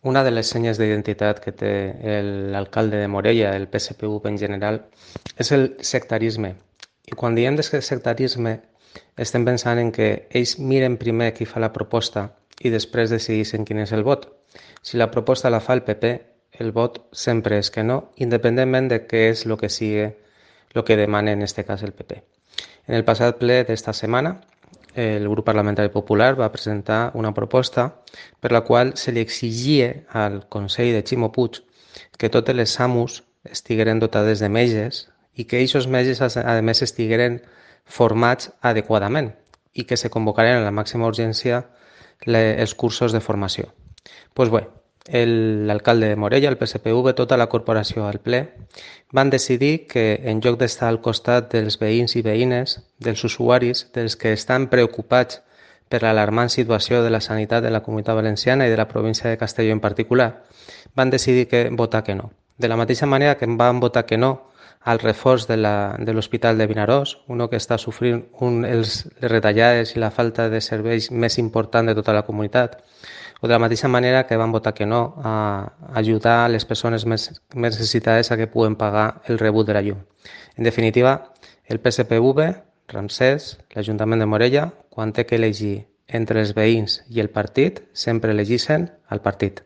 Una de les senyes d'identitat que té l'alcalde de Morella, el PSPV en general, és el sectarisme. I quan diem sectarisme estem pensant en que ells miren primer qui fa la proposta i després decideixen quin és el vot. Si la proposta la fa el PP, el vot sempre és que no, independentment de què és el que sigui el que demana en aquest cas el PP. En el passat ple d'esta setmana, el grup parlamentari popular va presentar una proposta per la qual se li exigia al Consell de Ximo Puig que totes les SAMUs estigueren dotades de metges i que aquests metges, a més, estigueren formats adequadament i que se convocaren a la màxima urgència els cursos de formació. Doncs bé, l'alcalde de Morella, el PSPV, tota la corporació al ple, van decidir que en lloc d'estar al costat dels veïns i veïnes, dels usuaris, dels que estan preocupats per l'alarmant situació de la sanitat de la Comunitat Valenciana i de la província de Castelló en particular, van decidir votar que no. De la mateixa manera que van votar que no al reforç de l'Hospital de Vinaròs, que està sofrint les retallades i la falta de serveis més important de tota la comunitat, o de la mateixa manera que van votar que no a ajudar les persones més necessitades a que puguen pagar el rebut de la llum. En definitiva, el PSPV, Ramsès, l'Ajuntament de Morella, quan té que elegir entre els veïns i el partit, sempre elegeixen el partit.